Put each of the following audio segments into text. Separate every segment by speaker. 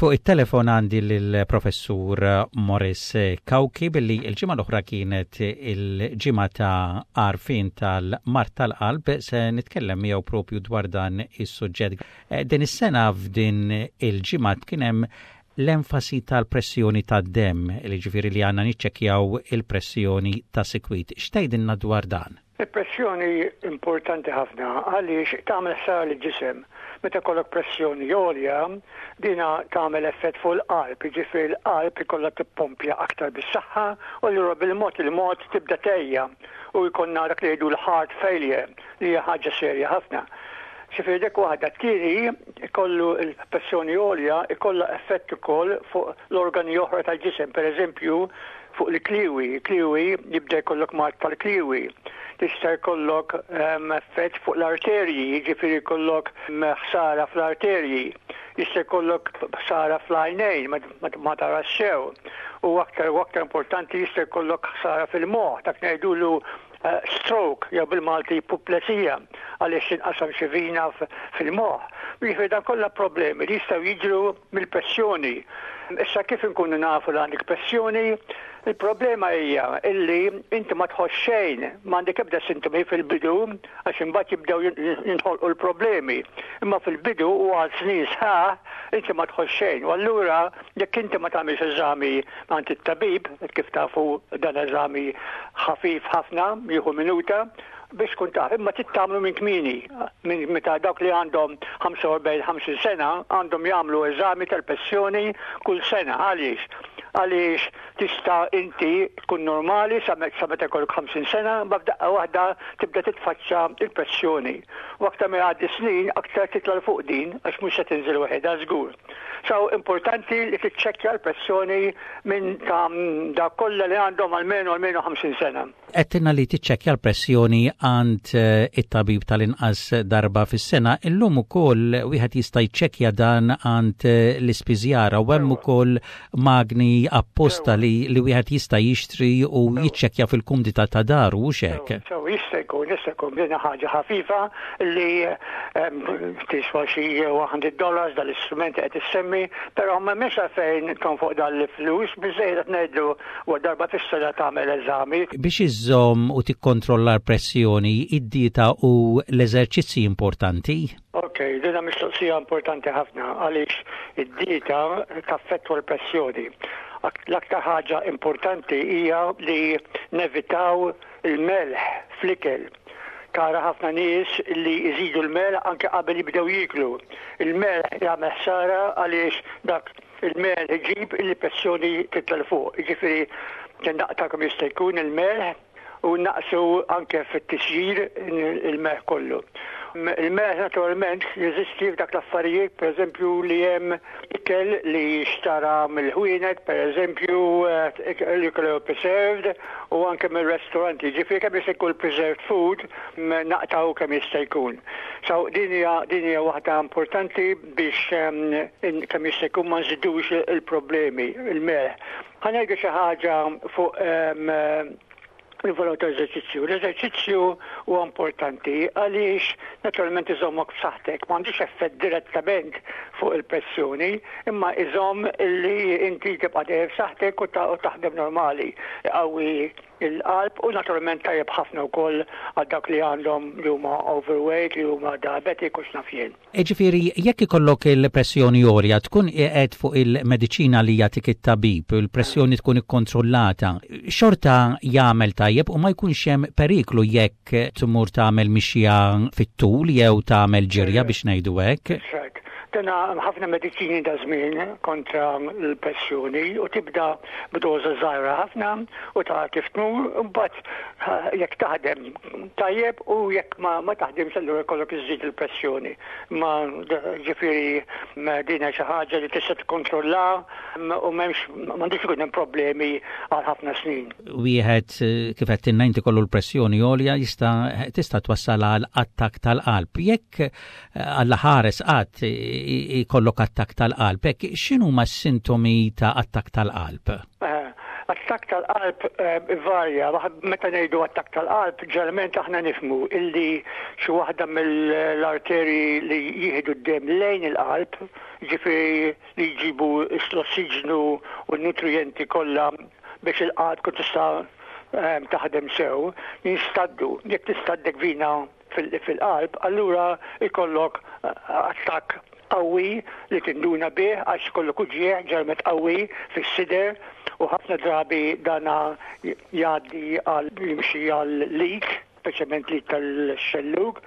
Speaker 1: Fuq it-telefon għandi lill-Professur Morris Cauchi billi l-ġimgħa l-oħra kienet il-ġimgħa ta' għarfien tal-mard tal-qalb se nitkellem miegħu propju dwar dan is-suġġett. Eh, din is-sena f'din il-ġimgħa kien hemm l-enfasi tal-pressjoni tad-demm, li ġifieri li għandna niċċekkjaw il-pressjoni ta' sikwit. X'tgħidilna dwar dan?
Speaker 2: Il-pressjoni importanti ħafna għaliex tagħmel ħsara lill-ġisem. Meta jkollok pressjoni għolja, dina tagħmel effett fuq il-qalb, jiġifieri l-qalb ikollha tippompja aktar bis-saħħa u allura bil-mod il-mod tibda tgħejja u jkollna dak li jgħidu l-heart failure li hija ħaġa serja ħafna. Ġifieri dik waħda. Tieni, ikollu l-pressjoni għolja ikollha effett ukoll fuq l-organi oħra tal-ġisem, pereżempju fuq il-kliewi, il-kliewi jibda jkollok mard tal-kliewi. Tista' jkollok ehm, effett fuq l-arterji, jiġifieri jkollok ehm, ħsara fl-arterji. Jista' jkollok ħsara fl-għajnejn, ma tarax sew. U aktar u aktar importanti jista' jkollok ħsara fil-moħħ, dak ngħidulu eh, stroke jew bil-Malti puplesija għaliex tinqasam xi vina fil-moħħ. Jiġifieri dan kollha problemi li jistgħu jiġru mill-pressjoni. Issa kif inkunu nafu li għandek pressjoni? Il-problema hija illi inti ma tħoss xejn, m'għandek ebda sintomi fil-bidu għax imbagħad jibdew jinħolqu l-problemi. Imma fil-bidu u għal snin sħaħ inti ma tħoss xejn. U allura jekk inti ma tagħmilx eżami għand it-tabib, kif tafu dan eżami ħafif ħafna, jieħu minuta, biex tkun taf, imma trid tagħmlu minn kmieni, minn meta dawk li għandhom 45-50 sena għandhom jagħmlu eżami tal-pressjoni kull sena. Għaliex? Għaliex tista' inti tkun normali sa meta jkollok 50 sena, ma f'daqqa waħda tibda titfaċċa il-pressjoni. U aktar ma jgħaddi snin, aktar titla' 'l fuq din għax mhux se tinżel waħedha żgur. So importanti li tiċċekkja l-pressjoni minn ta' dawk kollha li għandhom almenu almenu 50 sena.
Speaker 1: Għedtilna li tiċċekkja l-pressjoni għand eh, it-tabib tal-inqas darba fis-sena, illum ukoll wieħed jista' jċekkja dan għand eh, l-ispiżjara u hemm ukoll magni apposta li, li wieħed jista' jixtri u jiċċekkja fil-kumdità ta' daru u xek.
Speaker 2: So jista' jkun, jista' jkun din ħaġa ħafifa li ehm, tiswa xi 100 dollars dal-istrument qed issemmi, però ma m'hemmx għalfejn tonfoq dal-flus, biżejjed qed ngħidlu U darba fis-sena tagħmel eżami.
Speaker 1: Biex iżżomm u tikkontrolla l-pressjoni, id-dieta u l-eżerċizzi importanti?
Speaker 2: Ok, dina mistoqsija importanti ħafna għaliex id-dieta taffettwa l-pressjoni. L-aktar ħaġa importanti hija li nevitaw il-melħ fl-ikel. Tara ħafna nies li jżidu l-melħ anke qabel jibdew jieklu. Il-melħ jagħmel ħsara għaliex dak Il-melħ iġib il-pressjoni titla' 'l fuq, jiġifieri naqta' kemm jista' jkun il-melħ u naqsu anke fit-tisjir il-melħ kollu. Il-melħ naturalment jeżisti f'dak l-affarijiet, pereżempju li hemm ikel li xtara mill-ħwienet, pereżempju li jkunu preserved u anke mir-restoranti. Ġifieri kemm jista' jkun preserved food naqtgħu kemm jista' jkun. So din hija din hija waħda importanti biex kemm jista' jkun ma nżidux il-problemi, il-melħ. Ħa ngħidu xi ħaġa fuq il-valur ta' eżerċizzju. L-eżerċizzju huwa importanti għaliex naturalment iżommok b'saħħtek, m'għandux effett direttament fuq il-pressjoni, imma iżomm li inti tibqa' dejjem b'saħħtek u taħdem normali. Iqawwi il-qalb u naturalment tajjeb ħafna wkoll għal dawk li għandhom li huma overweight, li huma diabetic u x'naf jien.
Speaker 1: Jiġifieri jekk ikollok il-pressjoni għolja tkun qiegħed fuq il-mediċina li jagħtik it-tabib, il-pressjoni tkun ikkontrollata, xorta jagħmel tajjeb u ma jkunx hemm periklu jekk tmur tagħmel mixja fit-tul jew tagħmel ġirja biex ngħidu hekk.
Speaker 2: That's right. Dana ħafna mediċini da żmien kontra l-pressjoni u tibda b'doża żgħira ħafna u tara kif tmur, imbagħad jekk taħdem tajjeb u jekk ma, ma taħdimx allura jkollok iżżid il-pressjoni. Ma ġifieri din xi ħaġa li tista' tikkontrolla u m'hemmx m'għandux ikun hemm problemi għal ħafna snin.
Speaker 1: Wieħed kif qed tinna inti kollu l-pressjoni għolja jista' tista' twassal għal attakk tal-qalb. Jekk Alla ħares qatt ikollok attakk tal-qalb, hekk x'inhuma s-sintomi ta' attakk tal-qalb?
Speaker 2: Eh, Attakk tal-qalb ivarja. Meta ngħidu attakk tal-qalb, ġeneralment aħna nifhmu illi xi waħda mill-arterji li jieħdu d-demm lejn il-qalb, jiġifieri li jġibu l-ossiġnu u n-nutrijenti kollha biex il-qalb tkun tista' taħdem sew, jinstaddu. Jekk tistaddek vina fil-qalb, allura jkollok attakk qawwi li tinduna bih għax ikollok uġigħ ġeneralment qawwi fis-sider u ħafna drabi dana jgħaddi għal jimxi għal l-id, speċjalment l-id tal-xellug.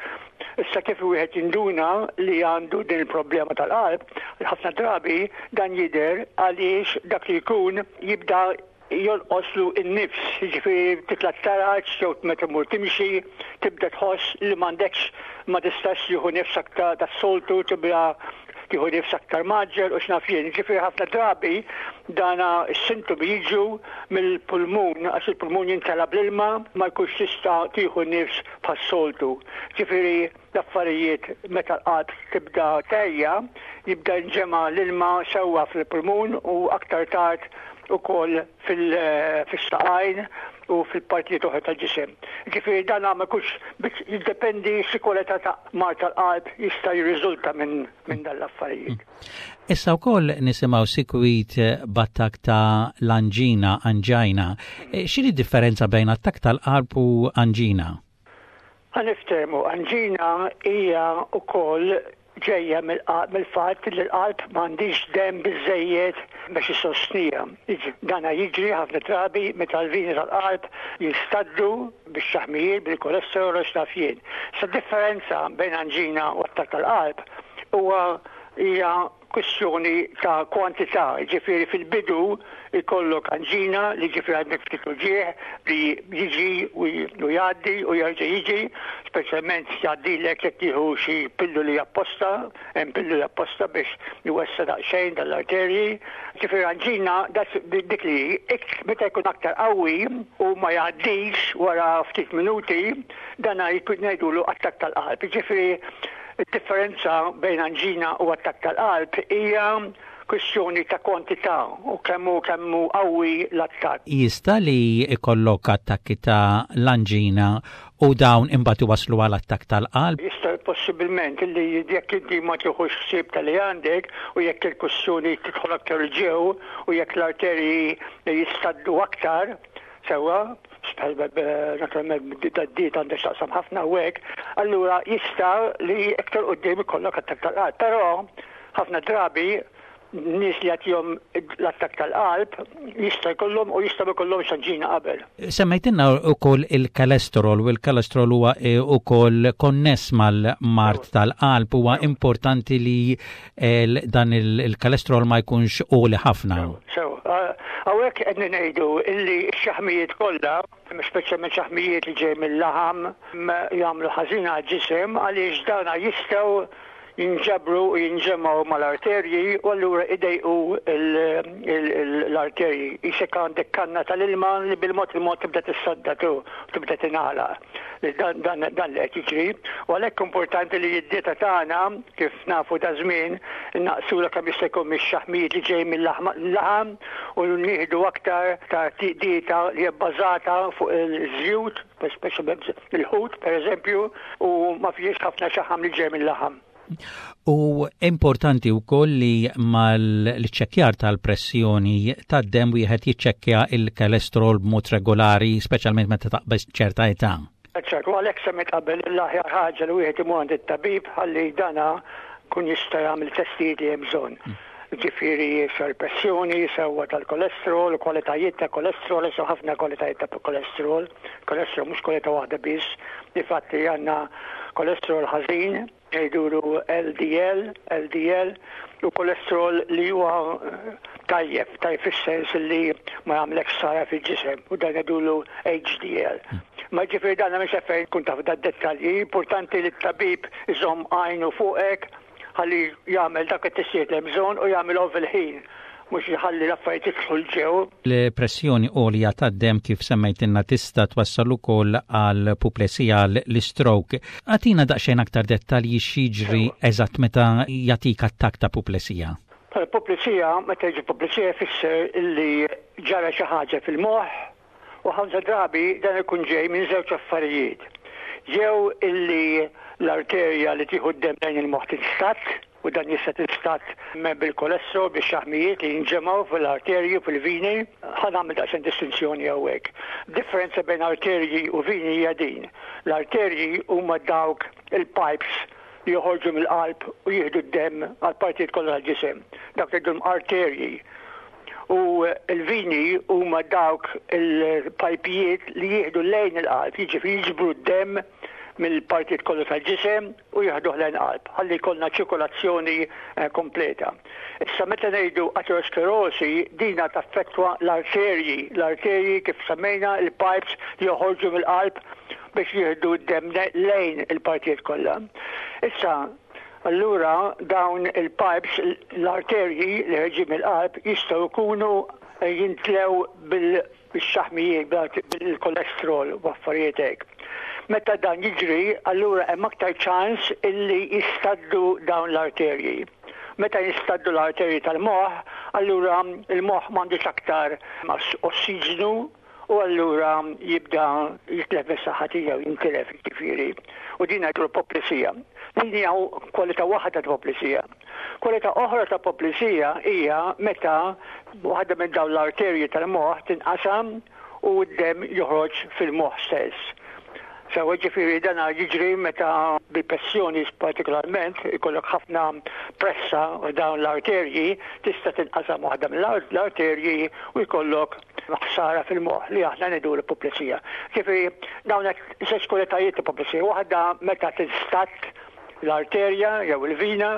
Speaker 2: Issa kif wieħed jinduna li għandu din il-problema tal-qalb, ħafna drabi dan jidher għaliex dak li jkun jibda jonqoslu n-nifs, jiġifieri titla' t-taraġ jew meta tmur timxi, tibda tħoss li m'għandekx ma tistax tieħu nifs aktar tas-soltu, tibda tieħu nifs aktar mgħaġġel u x'naf jien. Jiġifieri ħafna drabi dana s-sintomi jiġu mill-pulmun għax il-pulmun jimtela bl-ilma ma jkunx tista' tieħu nifs bħas-soltu. Jiġifieri l-affarijiet meta l-qalb tibda tgħejja, jibda jinġema' l-ilma sewwa fil-pulmun u aktar tard ukoll fis-saqajn u fil-partijiet oħra tal-ġisem. Ġifieri dan ma jkunx jiddependi xi kwalità ta' mard tal-qalb jista' jirriżulta minn dan l-affarijiet.
Speaker 1: Issa wkoll nisimgħu sikwit b'attakk ta' l-anġina, angina. X'inhi d-differenza bejn attakk tal-qalb u anġina?
Speaker 2: Ħa niftehmu, anġina hija wkoll ġejja mill-fatt li l-qalb m'għandhiex demm biżżejjed biex issostniha. Dana jiġri ħafna drabi meta l-vini tal-qalb jinstaddu bix-xaħmijiet, bil-kolesterol u x'naf jien. Issa d-differenza bejn anġina u attakk tal-qalb huwa hija kwistjoni ta' kwantità, jiġifieri fil-bidu jkollok anġina li jiġifieri għandek ftit uġigħ li jiġi u jgħaddi u jerġa' jiġi, speċjalment jgħaddilek jekk tieħu xi pilluli apposta, hemm pilluli apposta biex iwessa' daqsxejn dan l-arterji. Jiġifieri anġina dik li hi, meta jkun aktar qawwi u ma jgħaddix wara ftit minuti, dan ngħidulu attakk tal-qalb. Jiġifieri Id-differenza bejn anġina u attakk tal-qalb hija kwistjoni ta' kwantità u kemm hu kemm hu qawwi l-attakk.
Speaker 1: Jista' li jkollok attakki ta' l-anġina u dawn imbagħad iwasslu għal attakk tal-qalb?
Speaker 2: Jista' possibilment li jekk inti ma tieħux ħsieb ta' li għandek u jekk il-kwistjoni tidħol aktar 'il ġew u jekk l-arterji jistaddu aktar, Sewwa, naturalment d-dieta għandha x'taqsam ħafna u hekk, allura jista' li iktar quddiem ikollok attakk tal-qalb. Però ħafna drabi nies li jagħtihom l-attakk tal-qalb jista' jkollhom u jista' ma jkollhomx anġina qabel.
Speaker 1: Semmejtilna wkoll il-cholesterol u l-cholesterol huwa eh, wkoll konness mal-mard tal-qalb huwa importanti li dan il-kolesterol ma jkunx għoli ħafna.
Speaker 2: Sew, hawnhekk qed ngħidu illi x-xaħmijiet kollha, speċjalment xaħmijiet li ġej mill-laħam, jagħmlu ħażin għall-ġisem għaliex dana jistgħu jinġabru u jinġemgħu mal-arterji u allura idejqu l-arterji. Isek għandek kanna tal-ilma li bil-mod il-mod tibda tissadda tu, tibda tingħalaq. Dan li qed jiġri u għalhekk importanti li d-dieta tagħna Kif nafu daż-żmien, innaqqsula kemm jista' jkun mix-xaħmijiet li ġejjin mil-laħam u nieħdu aktar ta' dieta li hija bbażata fuq iż-żjut, speċjalment il-ħut pereżempju, u ma fihiex ħafna xaħam li ġej mil-laħam.
Speaker 1: U importanti wkoll li mal-iċċekkjar tal-pressjoni tad-demm wieħed jiċċekkja il-kolesterol b'mod regolari, speċjalment meta taqbeż ċerta età.
Speaker 2: Eċċ. U għalhekk semmejt qabel l-aħjar ħaġa li wieħed imur għand it-tabib ħalli dana jkun jista' jagħmel testijiet li hemm bżonn. Ġifieri sew il-pressjoni, sewwa tal-kolesterol, kwalitajiet ta' kolesterol, għax ħafna kwalitajiet ta' kolesterol. Kolesterol mhux kwalità waħda biss. Difatti għandna kolesterol ħażin, Ngħidulu LDL, LDL, u kolesterol li huwa tajjeb, tajjeb fis-sens li ma jagħmlekx ħsara fil-ġisem u dan ngħidulu HDL. Ma ġifieri dan mhux fejn tkun taf dad-dettalji, importanti li t-tabib iżomm għajnu fuqek ħalli jagħmel dak it-testijiet li hemm bżonn u jagħmilhom fil-ħin mhux jħalli l-affarijiet jidħlu 'l ġew.
Speaker 1: L-pressjoni għolja tad-demm kif semmejtilna tista' twassal ukoll għal puplesija, l-istroke. Agħtina daqsxejn aktar dettalji x'jiġri eżatt meta jagħtik attakk ta' puplesija.
Speaker 2: Puplesija, meta jiġi puplesija jfisser li ġara xi ħaġa fil-moħħ u ħafna drabi dan ikun ġej minn żewġ affarijiet. Jew illi l-arterja li tieħu d-demm lejn il-moħħ tinstadd, u dan jista' tinstadd bil-kolesterol, bix-xaħmijiet li jinġemgħu fil-arterji u fil-vini. Ħa nagħmel daqsxejn distinzjoni hawnhekk. Differenza bejn arterji u vini hija din. L-arterji huma dawk il-pipes li joħorġu mill-qalb u jieħdu d-demm għall-partijiet kollha tal-ġisem. Dawk ngħidulhom arterji. U l-vini huma dawk il-pajpijiet li jieħdu lejn il-qalb, jiġifieri jiġbru d-demm mill-partijiet kollha tal-ġisem u jieħduh lejn qalb ħalli jkollna ċirkolazzjoni eh, kompleta. Issa meta ngħidu aterosklerosi dina taffettwa l-arterji, l-arterji kif semmejna il-pipes li joħorġu mill-qalb biex jieħdu d-demm lejn il-partijiet kollha. Issa, allura dawn il-pipes, l-arterji li ħerġin mill-qalb jistgħu jkunu jintlew bil-xaħmijiet, bil-kolesterol u affarijiet hekk. Meta dan jiġri, allura hemm aktar ċans illi jistaddu dawn l-arterji. Meta jistaddu l-arterji tal-moħħ, allura il-moħħ m'għandux aktar ossiġnu u allura jibda jitlef mis-saħħa tiegħu, jintilef jiġifieri. U din ngħidlu poplisija. Din hija kwalità waħda ta' poplisija. Kwalità oħra ta' poplisija hija meta waħda minn dawn l-arterji tal-moħħ tinqasam u d-demm joħroġ fil-moħħ stess. Sewa ġifieri dan jiġri meta bil-pressjoni partikolarment ikollok ħafna pressa f'dawn l-arterji tista' tinqasam waħda mill-arterji u jkollok ħsara fil-moħħ li aħna ngħidu l-puplesija. Ġifieri dawn qed żewġ kwalitajiet ta' puplesija, waħda meta tinstadd l-arterja jew il-vina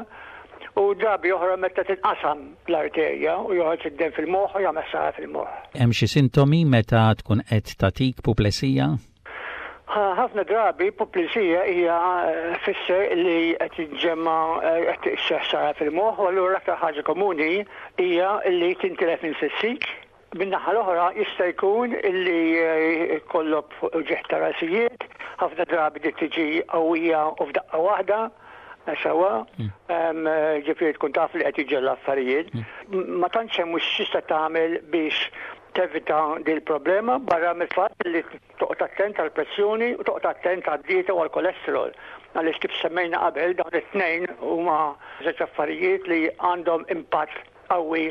Speaker 2: u drabi oħra meta tinqasam l-arterja u joħroġ id-demm fil-moħħ u jagħmel ħsara fil-moħħ.
Speaker 1: Hemm xi sintomi meta tkun qed tagħtik puplesija?
Speaker 2: Ħafna drabi puplesija hija eh, fisser li qed jiġġemma eh, qed ħsara fil-moħħ u allura l-aktar ħaġa komuni hija li tintilef minn sissik. Min-naħa l-oħra jista' jkun li eh, jkollok uġigħ ta' rasijiet, ħafna drabi di tiġi qawwija u f'daqqa waħda, sewwa, mm. ġifieri tkun taf li qed jiġu l-affarijiet. Mm. Ma tantx hemm mhux tista' tagħmel biex tevita din il-problema barra mill-fatt li toqgħod attent għall-pressjoni u toqgħod attent għad-dieta u għall-kolesterol. Għaliex kif semmejna qabel dawn it-tnejn huma żewġ affarijiet li għandhom impatt qawwi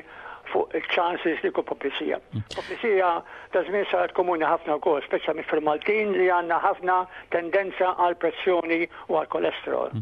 Speaker 2: fuq il-chances li jkun puplisija. Puplisija ta' żmien saret komuni ħafna wkoll, speċjalment fil-Maltin li għandna ħafna tendenza għal pressjoni u għal kolesterol.